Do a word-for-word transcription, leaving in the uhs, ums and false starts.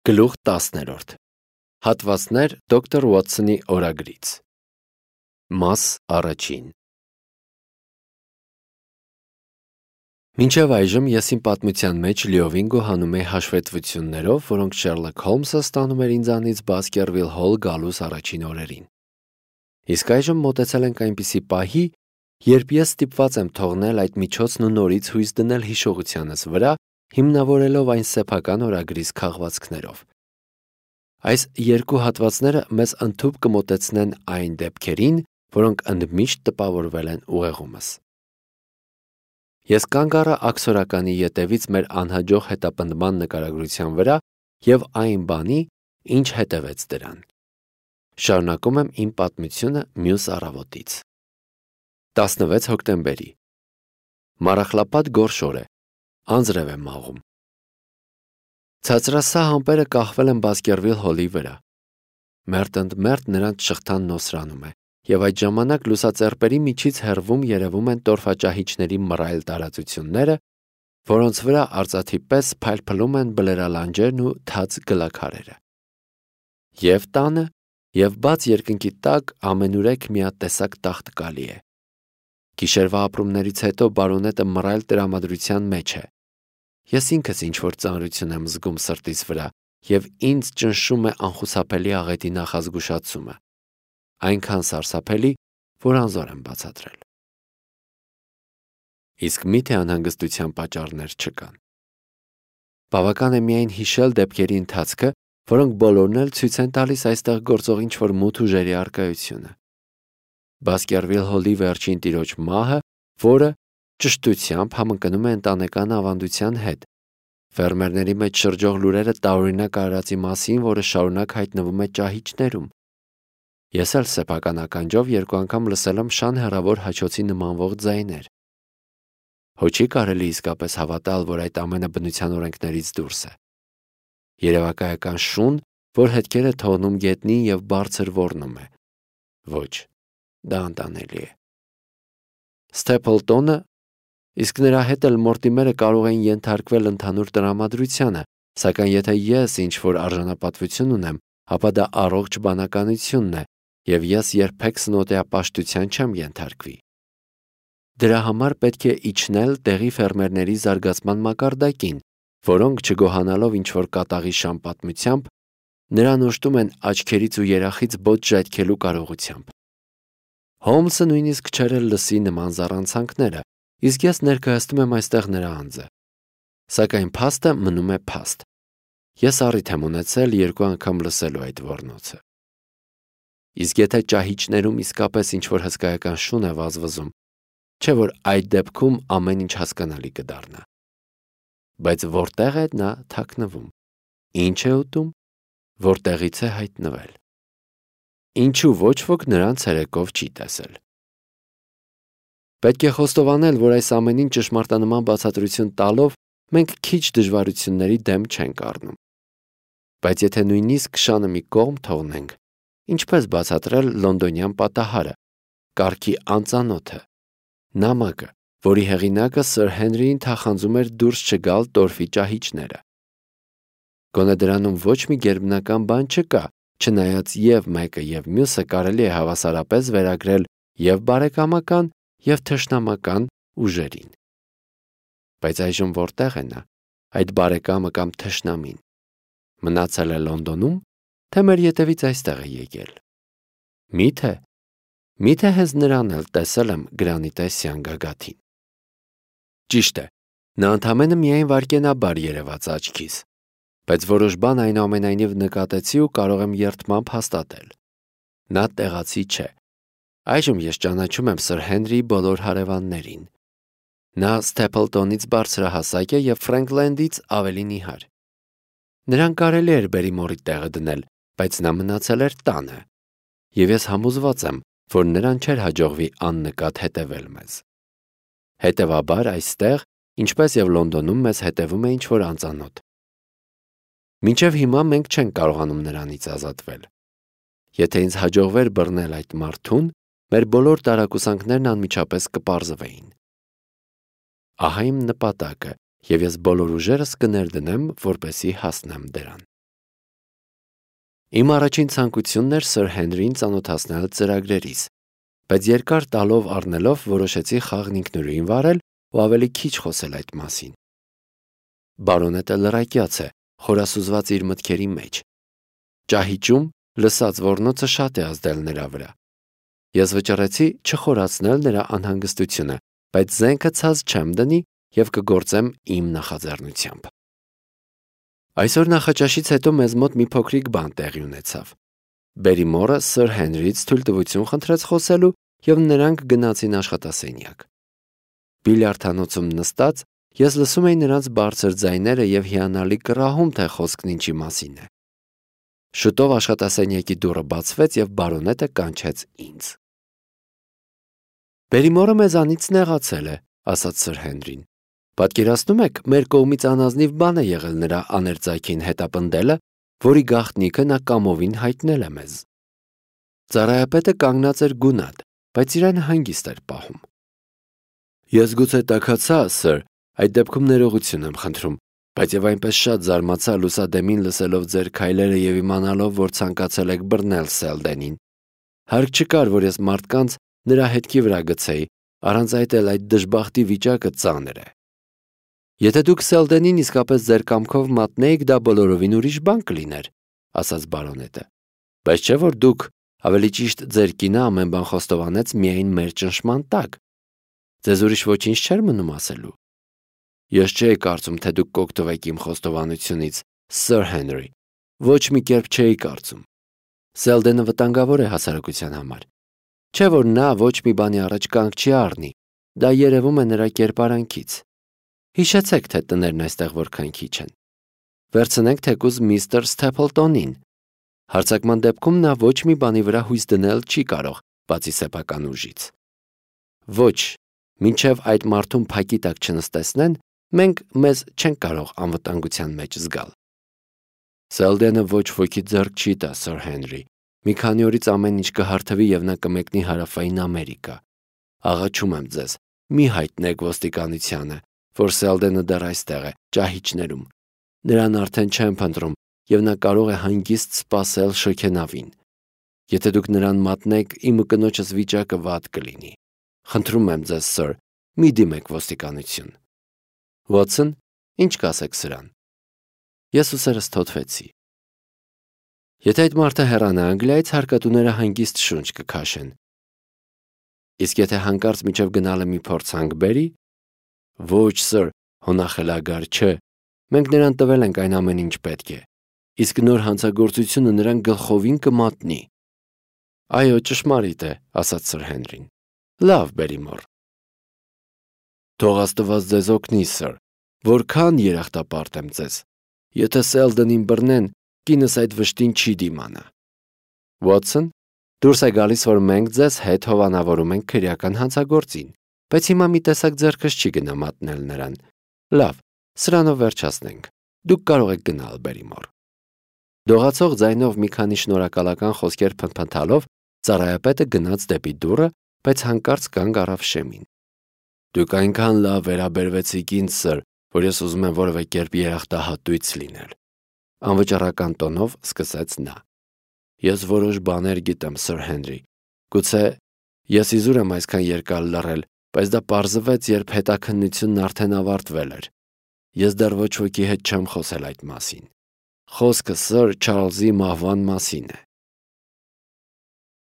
Գլուխ տասներորդ Հատվածներ դոկտոր Ուոթսոնի օրագրից Մաս առաջին Մինչև այժմ ես իմ պատմության մեջ լիովին գոհանում էի հաշվետվություններով, որոնք Շերլոք Հոլմսը ստանում էր ինձանից Բասկերվիլ Հոլ գալուս առաջին օրերին։ Իսկ այժմ մոտեցել ենք այնպիսի պահի, երբ ես ստիպված եմ թողնել այդ միջոցն ու նորից հույս դնել հիշողությանս վրա, հիմնավորելով այն սեփական օրագրիս քաղվածքներով։ Այս երկու հատվածները մեզ ընդհուպ կմոտեցնեն այն դեպքերին, որոնք ընդմիշտ տպավորվել են ուղեղումս։ Ես կանգ առա աքսորականի ետևից մեր անհաջող հետապնդման նկարագրության վրա և այն բանի, ինչ հետևեց դրան։ Շարունակում եմ իմ պատմությունը մյուս առավոտից։ տասնվեց հոկտեմբերի Մառախլապատ գորշ օր է, անձրև է մաղում։ Ցածրասահ ամպերը կախվել են Բասկերվիլ Հոլի վրա։ Մերթ ընդ մերթ նրանց շղթան նոսրանում է, և այդ ժամանակ լուսածեռպերի միջից հեռվում երևում են տորֆաճահիճների մռայլ տարածությունները, որոնց վրա արծաթի պես փայլփլում են բլերալանջերն ու թաց գլաքարերը։ Եվ տանը, և բաց երկնքի տակ ամենուրեք միատեսակ տաղտկալի է։ Գիշերվա ապրումներից հետո բարոնետը մռայլ տրամադրության մեջ է։ Ես ինքս ինչ-որ ծանրություն եմ զգում սրտիս վրա, և ինձ ճնշում է անխուսափելի աղետի նախազգուշացումը, այնքան սարսափելի, որ անզոր եմ բացատրել։ Իսկ մի՞թե անհանգստության պատճառներ չկան։ Բավական է միայն հիշել դեպքերի ընթացքը, որոնք բոլորն էլ ցույց են տալիս այստեղ գործող ինչ-որ մութ ուժերի առկայությունը։ Բասկերվիլ Հոլի վերջին տիրոջ մահը, որը ճշտությամբ համընկնում է ընտանեկան ավանդության հետ, ֆերմերների մեջ շրջող լուրերը տարօրինակ արարածի մասին, որը շարունակ հայտնվում է ճահիճներում։ Ես էլ սեփական ականջով երկու անգամ լսել եմ շան հեռավոր հաչոցի նմանվող ձայներ։ Հո չի կարելի իսկապես հավատալ, որ այդ ամենը բնության օրենքներից դուրս է։ Երևակայական շուն, որ հետքեր է թողնում գետնին և բարձր ոռնում է։ Ոչ, դա անտանելի է։ Սթեփլտոնը, իսկ նրա հետ էլ Մորտիմերը կարող էին ենթարկվել ընդհանուր տրամադրությանը, սակայն եթե ես ինչ-որ արժանապատվություն ունեմ, ապա դա առողջ բանականությունն է, և ես երբեք սնոտեապաշտության չեմ ենթարկվի։ Դրա համար պետք է իջնել տեղի ֆերմերների զարգացման մակարդակին, որոնք, չգոհանալով ինչ-որ կատաղի շան պատմությամբ, նրան օժտում են աչքերից ու երախից բոց ժայթքելու կարողությամբ։ Հոլմսը նույնիսկ չէր էլ լսի նման զառանցանքները, իսկ ես ներկայացնում եմ այստեղ նրա անձը։ Սակայն փաստը մնում է փաստ։ Ես առիթ եմ ունեցել երկու անգամ լսելու այդ ոռնոցը։ Իսկ եթե ճահիճներում իսկապես ինչ-որ հսկայական շուն է վազվզում, չէ՞ որ այդ դեպքում ամեն ինչ հասկանալի կդառնա։ Բայց որտեղ է նա թաքնվում, ինչ է ուտում, որտեղից է հայտնվել։ Ինչու ոչ ոք նրան ցերեկով չի տեսել։ Պետք է խոստովանել, որ այս ամենին ճշմարտանման բացատրություն տալով մենք քիչ դժվարությունների դեմ չենք առնում։ Բայց եթե նույնիսկ շանը մի կողմ թողնենք, ինչպես բացատրել լոնդոնյան պատահարը, կարգի անծանոթը, նամակը, որի հեղինակը Սըր Հենրիին թախանձում էր դուրս չգալ տորֆի ճահիճները։ Գոնե դրանում ոչ մի գերբնական բան չկա, չնայած և մեկը և մյուսը կարելի է հավասարապես վերագրել և բարեկամական, և թշնամական ուժերին։ Բայց այժմ որտեղ է նա, այդ բարեկամը կամ թշնամին։ Մնացել է Լոնդոնում, թե մեր ետևից այստեղ է եկել։ Մի՞թե, մի՞թե հենց նրան էլ տեսել եմ գրանիտեսյան գագաթին։ Ճիշտ է, նա ընդամենը միայն վայրկենաբար երևաց աչքիս, բայց որոշ բան այնուամենայնիվ նկատեցի ու կարող եմ երդմամբ հաստատել։ Նա տեղացի չէ։ Այժմ ես ճանաչում եմ Սըր Հենրիի բոլոր հարևաններին։ Նա Սթեփլտոնից բարձրահասակ է և Ֆրենքլենդից ավելի նիհար։ Նրան կարելի էր Բերիմորի տեղը դնել, բայց նա մնացել էր տանը, և ես համոզված եմ, որ նրան չէր հաջողվի աննկատ հետևել մեզ։ Հետևաբար այստեղ, ինչպես և Լոնդոնում, մեզ հետևում է ինչ-որ անծանոթ։ Մինչև հիմա մենք չենք կարողանում նրանից ազատվել։ Եթե ինձ հաջողվեր բռնել այդ մարդուն, մեր բոլոր տարակուսանքներն անմիջապես կպարզվեին։ Ահա իմ նպատակը, և ես բոլոր ուժերս կներդնեմ, որպեսզի հասնեմ դրան։ Իմ առաջին ցանկությունն էր Սըր Հենրիին ծանոթացնել ծրագրերից, բայց երկար տալով առնելով որոշեցի խաղն ինքնուրույն վարել ու ավելի քիչ խոսել այդ մասին։ Բարոնետը լրակյաց է, խորասուզված իր մտքերի մեջ։ Ճահիճում լսած ոռնոցը շատ է ազդել նրա վրա։ Ես վճռեցի չխորացնել նրա անհանգստությունը, բայց զենքը ցած չեմ դնի և կգործեմ իմ նախաձեռնությամբ։ Այսօր նախաճաշից հետո մեզ մոտ մի փոքրիկ բան տեղի ունեցավ։ Բերիմորը Սըր Հենրիից թույլտվություն խնդրեց խոսելու և նրանք գնացին աշխատասենյակ։ Բիլիարդանոցում նստած ես լսում էի նրանց բարձր ձայները և հիանալի կռահում, թե խոսքն ինչի մասին է։ Շուտով աշխատասենյակի դուռը բացվեց և բարոնետը կանչեց ինձ։ Բերիմորը մեզանից նեղացել է, ասաց Սըր Հենրին։ Պատկերացնում եք, մեր կողմից անազնիվ բան է եղել նրա աներձայքին հետապնդելը, որի գաղտնիքը նա կամովին հայտնել է մեզ։ Ծառայապետը կանգնած էր գունատ, բայց իրեն հանգիստ էր պահում։ Ես գուցե տաքացա, Սըր, այդ դեպքում ներողություն եմ խնդրում, բայց և այնպես շատ զարմացա լուսադեմին լսելով ձեր քայլերը և իմանալով, որ ցանկացել եք բռնել Սելդենին։ Հարկ չկար, որ ես մարդկանց նրա հետքի վրա գցեի, առանց այդ էլ այդ դժբախտի վիճակը ծանր է։ Եթե դուք Սելդենին իսկապես ձեր կամքով մատնեիք, դա բոլորովին ուրիշ բան կլիներ, ասաց բարոնետը, բայց չէ՞ որ դուք, ավելի ճիշտ ձեր կինը ամեն բան խոստովանեց միայն մեր ճնշման տակ։ Ձեզ ուրիշ ոչինչ չէր մնում ասելու։ Ես չէի կարծում, թե դուք կօգտվեք իմ խոստովանությունից, Սըր Հենրի, ոչ մի կերպ չէի կարծում։ Սելդենը վտանգավոր է հասարակության համար։ Չէ՞ որ նա ոչ մի բանի առաջ կանգ չի առնի, դա երևում է նրա կերպարանքից։ Հիշեցեք, թե տներն այստեղ որքան քիչ են։ Վերցնենք թեկուզ միստր Սթեփլտոնին։ Հարձակման դեպքում նա ոչ մի բանի վրա հույս դնել չի կարող, բացի սեփական ուժից։ Ոչ, մինչև այդ մարդուն փակի տակ չնստեցնեն, մենք մեզ չենք կարող անվտանգության մեջ զգալ։ Սելդենը ոչ ոքի ձեռք չի տա, Սըր Հենրի։ Մի քանի օրից ամեն ինչ կհարթվի և նա կմեկնի Հարավային Ամերիկա։ Աղաչում եմ ձեզ, մի հայտնեք ոստիկանությանը, որ Սելդենը դեռ այստեղ է, ճահիճներում։ Նրան արդեն չեն փնտրում, և նա կարող է հանգիստ սպասել շոգենավին։ Եթե դուք նրան մատնեք, իմը կնոջս վիճակը վատ կլինի։ Խնդրում եմ ձեզ, Սըր, մի դիմեք ոստիկանություն։ Վոթսոն, ինչ կասեք սրան։ Ես ուսերս թոթվեցի։ Եթե այդ մարդը հեռանա Անգլիայից, հարկատուները հանգիստ շունչ կքաշեն։ Իսկ եթե հանկարծ միջև գնալը մի փորձանք բերի։ Ոչ, Սըր, հոնախելագար չէ։ Մենք նրան տվել ենք այն ամեն ինչ պետք է։ Իսկ նոր հանցագործությունը նրան գլխովին կմատնի։ Այո, ճշմարիտ է, ասաց Սըր Հենրին։ Լավ, Բերիմոր։ Թող Աստված ձեզ օգնի, Սըր, որքան երախտապարտ եմ ձեզ։ Եթե Սելդենին բռնեն, կինս այդ վշտին չի դիմանա։ Վոթսոն, դուրս է գալիս, որ մենք ձեզ հետ հովանավորում ենք քրեական հանցագործին, բայց հիմա մի տեսակ ձեռքս չի գնա մատնել նրան։ Լավ, սրանով վերջացնենք։ Դուք կարող եք գնալ, Բերիմոր։ Դողացող ձայնով մի քանի շնորհակալական խոսքեր փնթփնթալով ծառայապետը գնաց դեպի դուռը, բայց հանկարծ կանգ առավ շեմին։ Դուք այնքան լավ վերաբերվեցիք ինձ, Սըր, որ ես ուզում եմ որևէ կերպ երախտահատույց լինել։ Անվճռական տոնով սկսեց նա։ Ես որոշ բաներ գիտեմ, Սըր Հենրի։ Գուցե ես իզուր եմ այսքան երկար լռել, բայց դա պարզվեց, երբ հետաքննությունն արդեն ավարտվել էր։ Ես դեռ ոչ ոքի հետ չեմ խոսել այդ մասին։ Խոսքը Սըր Չարլզի մահվան մասին է։